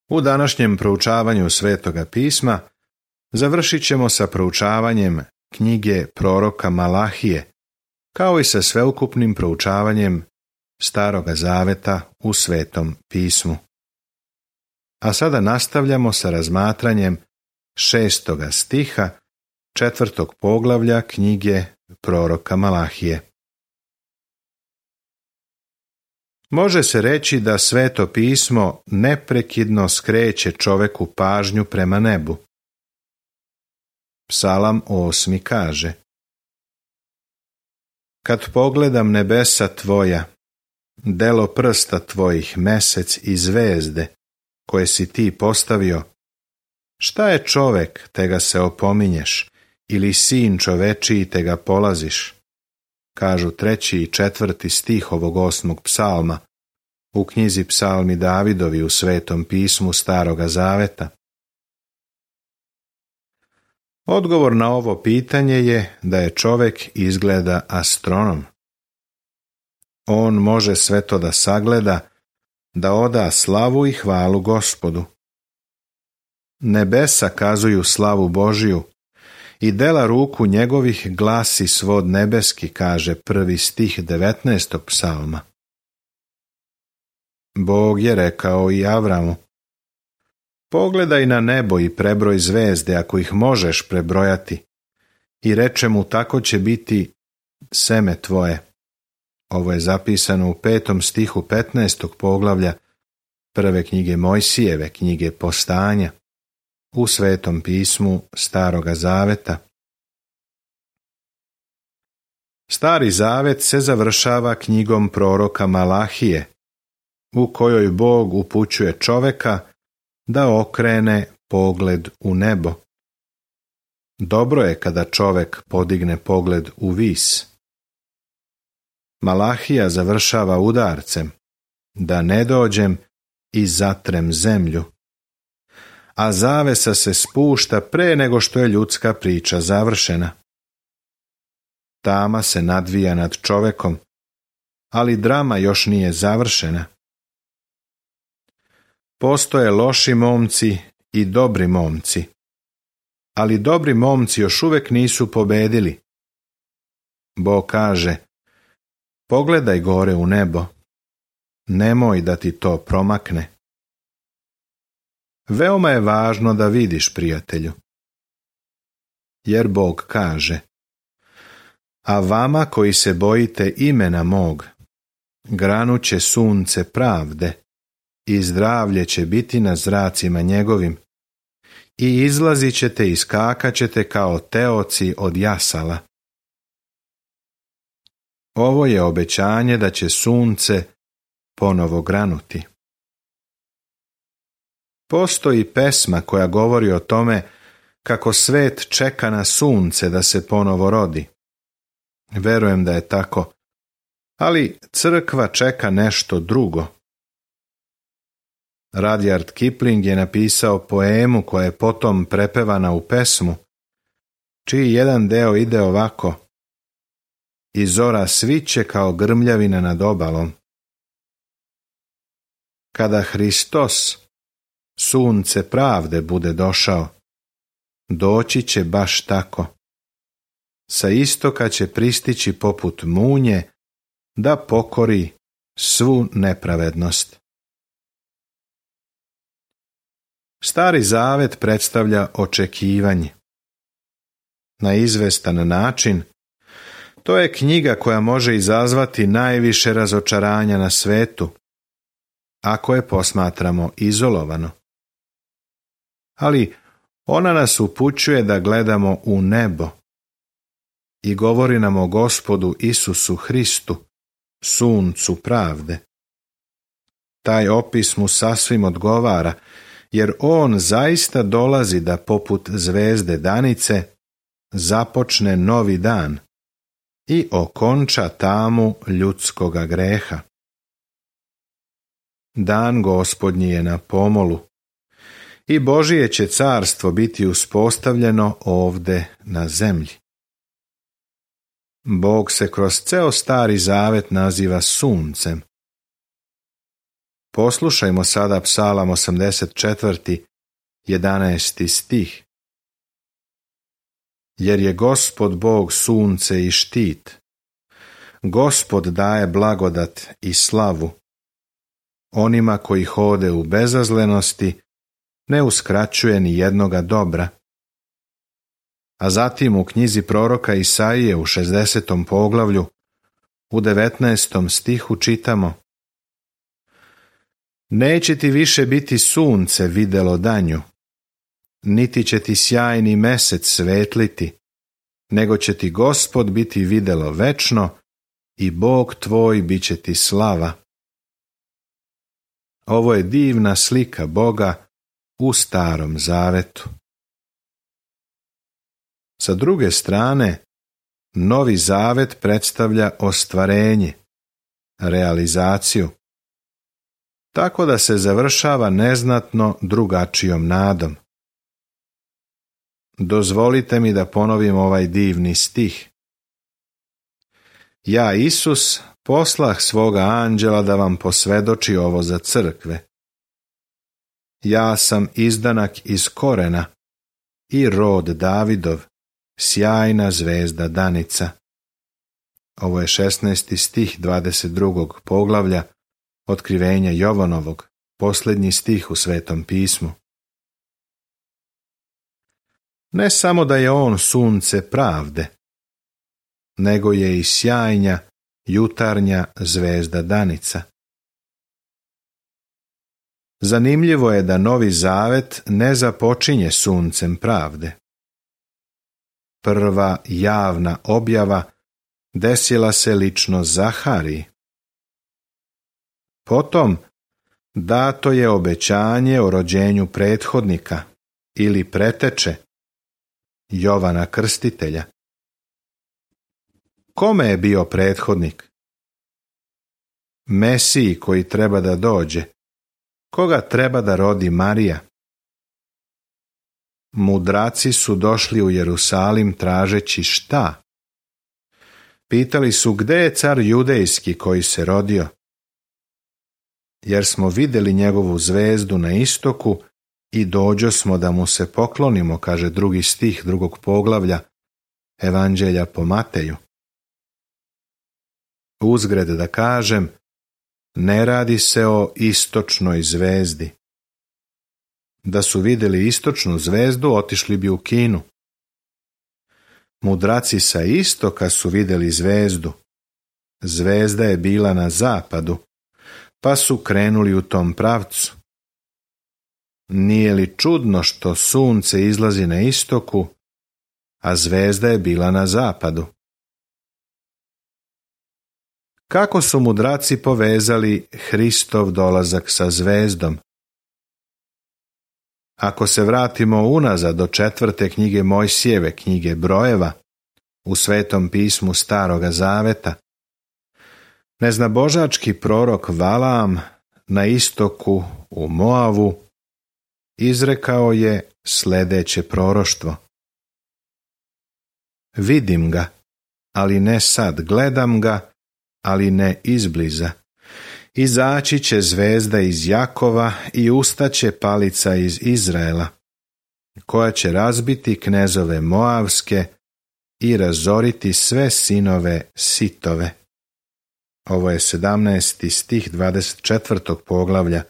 U današnjem proučavanju Svetoga pisma završit ćemo sa proučavanjem knjige proroka Malahije, kao i sa sveukupnim proučavanjem Staroga zaveta u Svetom pismu. A sada nastavljamo sa razmatranjem 6. stiha 4. poglavlja knjige proroka Malahije. Može se reći da Sveto pismo neprekidno skreće čoveku pažnju prema nebu. Psalam 8. kaže: Kad pogledam nebesa tvoja, delo prsta tvojih, mesec i zvezde, koje si ti postavio, šta je čovek, te ga se opominješ, ili sin čovečiji, te ga polaziš? Kažu 3. i 4. stih ovog 8. psalma u knjizi Psalmi Davidovi u Svetom pismu Staroga zaveta. Odgovor na ovo pitanje je da je čovek izgleda astronom. On može sve to da sagleda, da oda slavu i hvalu Gospodu. Nebesa kazuju slavu Božiju i dela ruku njegovih glasi svod nebeski, kaže 1. stih 19. psalma. Bog je rekao i Avramu: Pogledaj na nebo i prebroj zvezde, ako ih možeš prebrojati, i reče mu, tako će biti seme tvoje. Ovo je zapisano u 5. stihu 15. poglavlja prve knjige Mojsijeve, knjige Postanja, u Svetom pismu Staroga zaveta. Stari zavet se završava knjigom proroka Malahije, u kojoj Bog upućuje čoveka da okrene pogled u nebo. Dobro je kada čovek podigne pogled u vis. Malahija završava udarcem: da ne dođem i zatrem zemlju. A zavesa se spušta pre nego što je ljudska priča završena. Tama se nadvija nad čovekom, ali drama još nije završena. Postoje loši momci i dobri momci, ali dobri momci još uvek nisu pobedili. Bog kaže: pogledaj gore u nebo, nemoj da ti to promakne. Veoma je važno da vidiš, prijatelju. Jer Bog kaže: a vama koji se bojite imena mog, granuće sunce pravde i zdravlje će biti na zracima njegovim i izlazit ćete i skakat ćete kao teoci od jasala. Ovo je obećanje da će sunce ponovo granuti. Postoji pesma koja govori o tome kako svet čeka na sunce da se ponovo rodi. Verujem da je tako, ali crkva čeka nešto drugo. Rudyard Kipling je napisao poemu koja je potom prepevana u pesmu, čiji jedan deo ide ovako: i zora sviće kao grmljavina nad obalom. Kada Hristos, sunce pravde, bude došao, doći će baš tako. Sa istoka će pristići poput munje da pokori svu nepravednost. Stari zavet predstavlja očekivanje. Na izvestan način, to je knjiga koja može izazvati najviše razočaranja na svetu, ako je posmatramo izolovano. Ali ona nas upućuje da gledamo u nebo i govori nam o Gospodu Isusu Hristu, suncu pravde. Taj opis mu sasvim odgovara, jer on zaista dolazi da poput zvezde danice započne novi dan i okonča tamu ljudskoga greha. Dan Gospodnji je na pomolu i Božije će carstvo biti uspostavljeno ovde na zemlji. Bog se kroz ceo Stari zavet naziva suncem. Poslušajmo sada Psalam 84. 11. stih. Jer je Gospod Bog sunce i štit. Gospod daje blagodat i slavu. Onima koji hode u bezazlenosti ne uskraćuje ni jednoga dobra. A zatim u knjizi proroka Isaije u 60. poglavlju u 19. stihu čitamo: Neće ti više biti sunce videlo danju, niti će ti sjajni mesec svetliti, nego će ti Gospod biti videlo večno i Bog tvoj bit će ti slava. Ovo je divna slika Boga u Starom Zavetu. Sa druge strane, Novi Zavet predstavlja ostvarenje, realizaciju, tako da se završava neznatno drugačijom nadom. Dozvolite mi da ponovim ovaj divni stih. Ja, Isus, poslah svoga anđela da vam posvedoči ovo za crkve. Ja sam izdanak iz korena i rod Davidov, sjajna zvezda danica. Ovo je 16. stih 22. poglavlja Otkrivenja Jovanovog, posljednji stih u Svetom pismu. Ne samo da je on sunce pravde, nego je i sjajna jutarnja zvezda danica. Zanimljivo je da Novi Zavet ne započinje suncem pravde. Prva javna objava desila se lično Zahariji. Potom dato je obećanje o rođenju prethodnika ili preteče Jovana Krstitelja. Kome je bio prethodnik? Mesiji koji treba da dođe. Koga treba da rodi Marija? Mudraci su došli u Jerusalim tražeći šta? Pitali su gde je car judejski koji se rodio? Jer smo vidjeli njegovu zvezdu na istoku i dođosmo da mu se poklonimo, kaže 2. stih 2. poglavlja Evanđelja po Mateju. Uzgred da kažem, ne radi se o istočnoj zvezdi. Da su vidjeli istočnu zvezdu, otišli bi u Kinu. Mudraci sa istoka su vidjeli zvezdu. Zvezda je bila na zapadu, pa su krenuli u tom pravcu. Nije li čudno što sunce izlazi na istoku, a zvezda je bila na zapadu? Kako su mudraci povezali Hristov dolazak sa zvezdom? Ako se vratimo unazad do 4. knjige Mojsijeve, knjige Brojeva, u Svetom pismu Staroga Zaveta, neznabožački prorok Valaam na istoku u Moavu izrekao je sljedeće proroštvo. Vidim ga, ali ne sad, gledam ga, ali ne izbliza. Izaći će zvezda iz Jakova i ustaće palica iz Izraela, koja će razbiti knezove Moavske i razoriti sve sinove Sitove. Ovo je 17. stih 24. poglavlja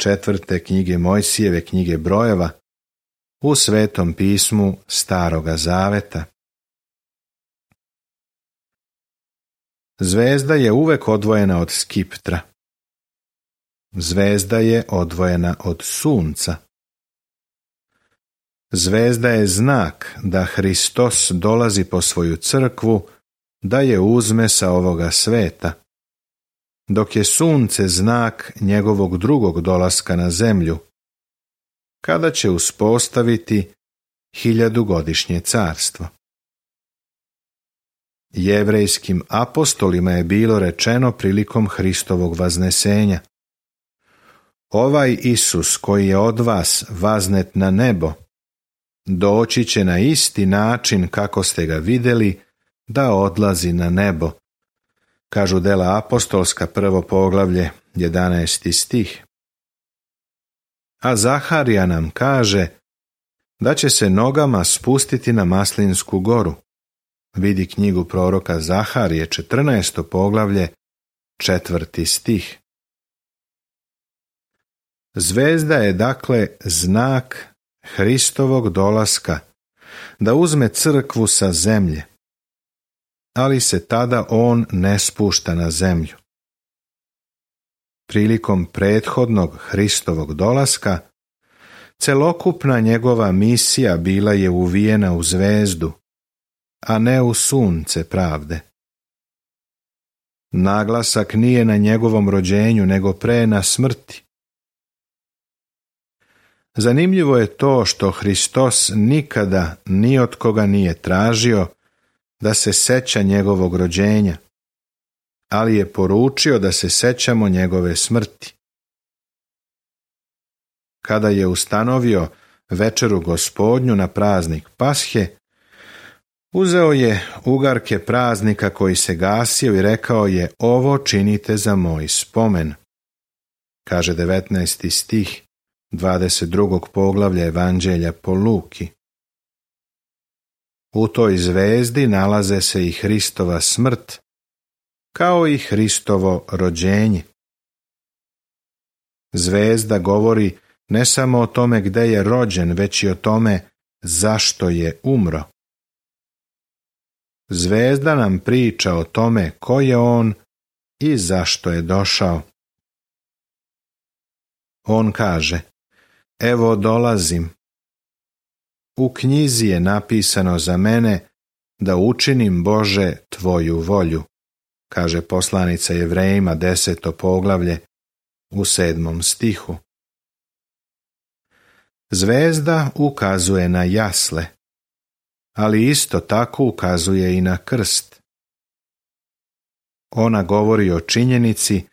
4. knjige Mojsijeve, knjige Brojeva, u Svetom pismu Staroga Zaveta. Zvezda je uvek odvojena od skiptra. Zvezda je odvojena od sunca. Zvezda je znak da Hristos dolazi po svoju crkvu da je uzme sa ovoga sveta, dok je sunce znak njegovog drugog dolaska na zemlju, kada će uspostaviti 1000-godišnje carstvo. Jevrejskim apostolima je bilo rečeno prilikom Hristovog vaznesenja: ovaj Isus koji je od vas vaznet na nebo, doći će na isti način kako ste ga vidjeli da odlazi na nebo. Kažu Dela apostolska, 1. poglavlje, 11. stih. A Zaharija nam kaže da će se nogama spustiti na Maslinsku goru. Vidi knjigu proroka Zaharije, 14. poglavlje, 4. stih. Zvezda je dakle znak Hristovog dolaska, da uzme crkvu sa zemlje, ali se tada on ne spušta na zemlju. Prilikom prethodnog Hristovog dolaska, celokupna njegova misija bila je uvijena u zvezdu, a ne u sunce pravde. Naglasak nije na njegovom rođenju, nego pre na smrti. Zanimljivo je to što Hristos nikada ni od koga nije tražio da se seća njegovog rođenja, ali je poručio da se sećamo njegove smrti. Kada je ustanovio večeru Gospodnju na praznik Pashe, uzeo je ugarke praznika koji se gasio i rekao je: ovo činite za moj spomen. Kaže 19. stih 22. poglavlja Evanđelja po Luki. U toj zvezdi nalaze se i Hristova smrt, kao i Hristovo rođenje. Zvezda govori ne samo o tome gde je rođen, već i o tome zašto je umro. Zvezda nam priča o tome ko je on i zašto je došao. On kaže: evo dolazim. U knjizi je napisano za mene da učinim, Bože, tvoju volju, kaže poslanica Jevrejima 10. poglavlje u 7. stihu. Zvezda ukazuje na jasle, ali isto tako ukazuje i na krst. Ona govori o činjenici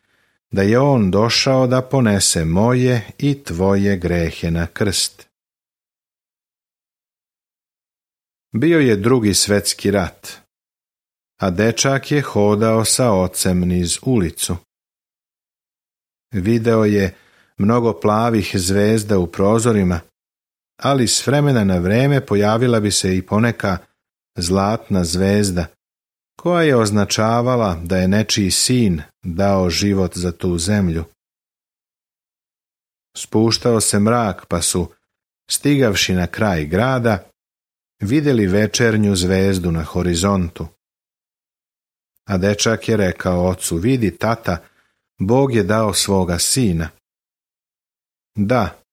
da je on došao da ponese moje i tvoje grehe na krst. Bio je Drugi svjetski rat, a dečak je hodao sa ocem niz ulicu. Video je mnogo plavih zvezda u prozorima, ali s vremena na vrijeme pojavila bi se i poneka zlatna zvezda, koja je označavala da je nečiji sin dao život za tu zemlju. Spuštao se mrak, pa su, stigavši na kraj grada, vidjeli večernju zvezdu na horizontu. A dečak je rekao ocu: vidi, tata, Bog je dao svoga sina. Da,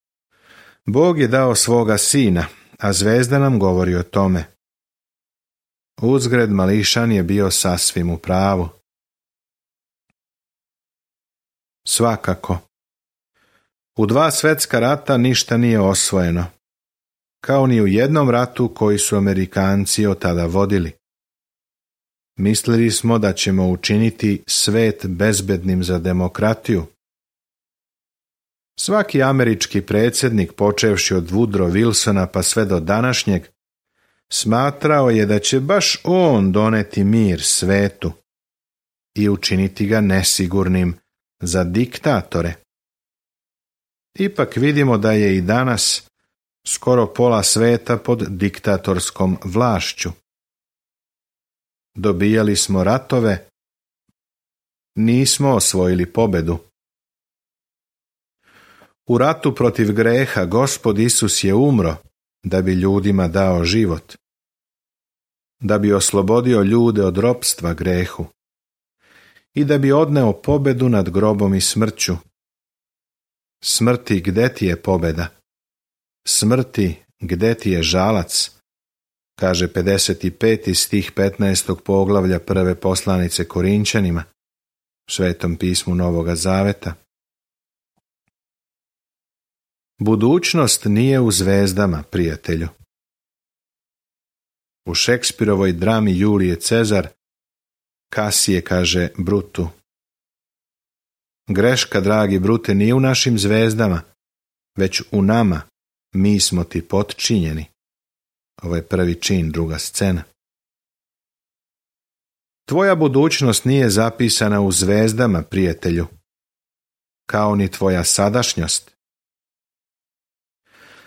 Bog je dao svoga sina, a zvezda nam govori o tome. Uzgred mališan je bio sasvim u pravu. Svakako, u 2 svjetska rata ništa nije osvojeno, kao ni u jednom ratu koji su Amerikanci od tada vodili. Mislili smo da ćemo učiniti svet bezbednim za demokratiju. Svaki američki predsjednik, počevši od Woodrow Wilsona pa sve do današnjeg, smatrao je da će baš on doneti mir svetu i učiniti ga nesigurnim za diktatore. Ipak vidimo da je i danas skoro pola sveta pod diktatorskom vlašću. Dobijali smo ratove, nismo osvojili pobedu. U ratu protiv greha Gospod Isus je umro da bi ljudima dao život, da bi oslobodio ljude od ropstva grehu i da bi odneo pobedu nad grobom i smrću. Smrti, gde ti je pobeda? Smrti, gde ti je žalac? Kaže 55. stih 15. poglavlja prve poslanice Korinčanima, u Svetom pismu Novoga Zaveta. Budućnost nije u zvezdama, prijatelju. U Šekspirovoj drami Julije Cezar, Kasije kaže Brutu: greška, dragi Brute, nije u našim zvezdama, već u nama, mi smo ti potčinjeni. Ovo je prvi čin, druga scena. Tvoja budućnost nije zapisana u zvezdama, prijatelju. kao ni tvoja sadašnjost.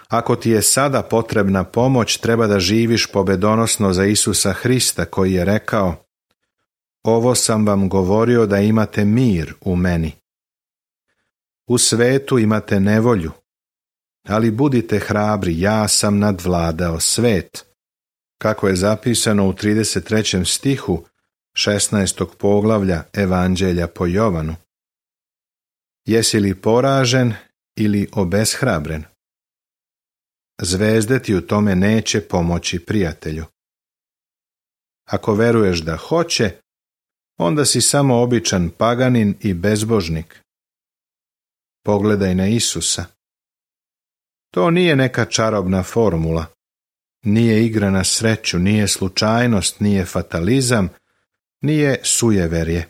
Ako ti je sada potrebna pomoć, treba da živiš pobedonosno za Isusa Hrista, koji je rekao: ovo sam vam govorio da imate mir u meni. U svetu imate nevolju, ali budite hrabri, ja sam nadvladao svet, kako je zapisano u 33. stihu 16. poglavlja Evanđelja po Jovanu. Jesi li poražen ili obeshrabren? Zvezde ti u tome neće pomoći, prijatelju. Ako veruješ da hoće, onda si samo običan paganin i bezbožnik. Pogledaj na Isusa. To nije neka čarobna formula, nije igra na sreću, nije slučajnost, nije fatalizam, nije sujeverje.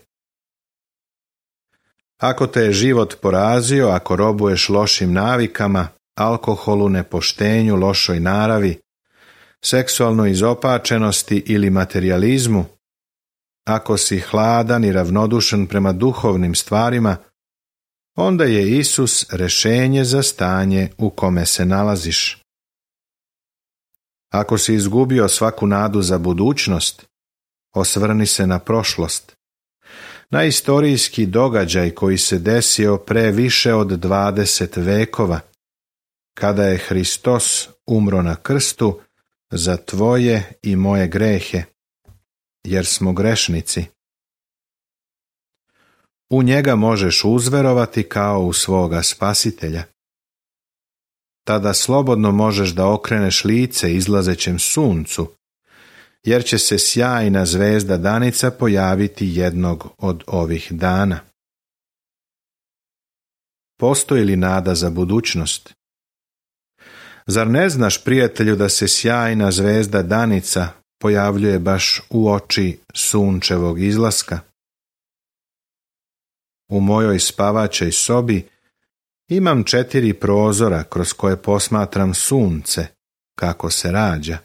Ako te je život porazio, ako robuješ lošim navikama, alkoholu, nepoštenju, lošoj naravi, seksualnoj izopačenosti ili materijalizmu, ako si hladan i ravnodušan prema duhovnim stvarima, onda je Isus rješenje za stanje u kome se nalaziš. Ako si izgubio svaku nadu za budućnost, osvrni se na prošlost, na istorijski događaj koji se desio pre više od 20 vekova, kada je Hristos umro na krstu za tvoje i moje grehe, jer smo grešnici. U njega možeš uzverovati kao u svoga spasitelja. Tada slobodno možeš da okreneš lice izlazećem suncu, jer će se sjajna zvezda danica pojaviti jednog od ovih dana. Postoji li nada za budućnost? Zar ne znaš, prijatelju, da se sjajna zvezda danica pojavljuje baš u oči sunčevog izlaska? U mojoj spavaćoj sobi imam 4 prozora kroz koje posmatram sunce kako se rađa.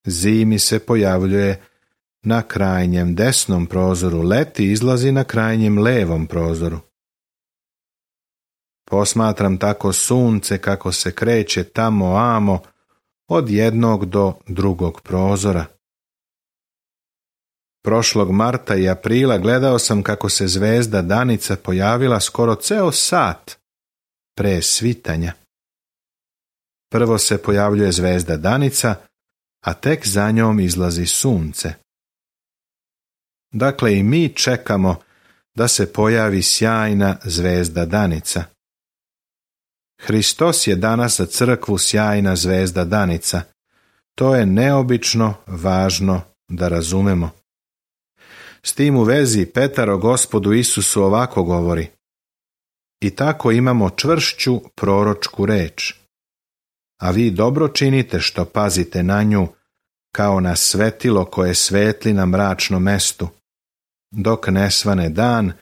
Zimi se pojavljuje na krajnjem desnom prozoru, leti izlazi na krajnjem levom prozoru. Posmatram tako sunce kako se kreće tamo amo od jednog do drugog prozora. Prošlog marta i aprila gledao sam kako se zvezda danica pojavila skoro ceo sat pre svitanja. Prvo se pojavljuje zvezda danica, a tek za njom izlazi sunce. Dakle, i mi čekamo da se pojavi sjajna zvezda danica. Hristos je danas za crkvu sjajna zvezda danica. To je neobično važno da razumemo. S tim u vezi Petar o Gospodu Isusu ovako govori: i tako imamo čvršću proročku reč. A vi dobro činite što pazite na nju, kao na svetilo koje svetli na mračnom mestu, dok ne svane dan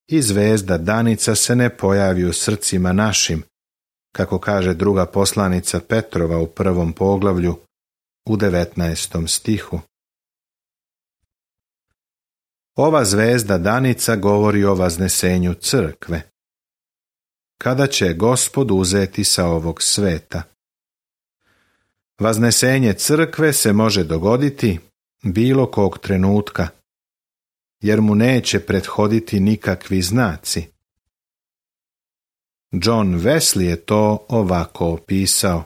i zvezda danica se ne pojavi u srcima našim, kako kaže druga poslanica Petrova u 1. poglavlju u 19. stihu. Ova zvezda danica govori o vaznesenju crkve. Kada će Gospod uzeti sa ovog sveta? Vaznesenje crkve se može dogoditi bilo kog trenutka, jer mu neće prethoditi nikakvi znaci. John Wesley je to ovako opisao: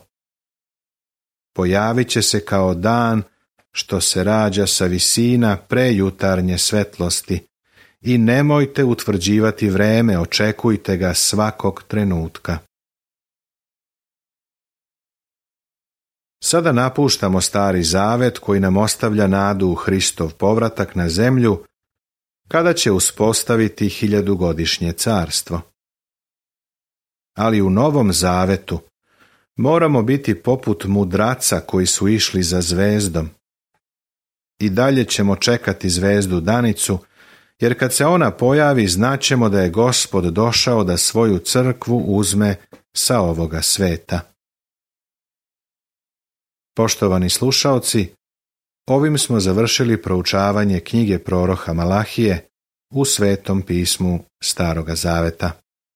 pojavit će se kao dan što se rađa sa visina prejutarnje svetlosti i nemojte utvrđivati vreme, očekujte ga svakog trenutka. Sada napuštamo Stari Zavet koji nam ostavlja nadu u Hristov povratak na zemlju kada će uspostaviti 1000-godišnje carstvo. Ali u Novom Zavetu moramo biti poput mudraca koji su išli za zvezdom. I dalje ćemo čekati zvezdu danicu, jer kad se ona pojavi znaćemo da je Gospod došao da svoju crkvu uzme sa ovoga sveta. Poštovani slušaoci, ovim smo završili proučavanje knjige proroka Malahije u Svetom pismu Staroga Zaveta.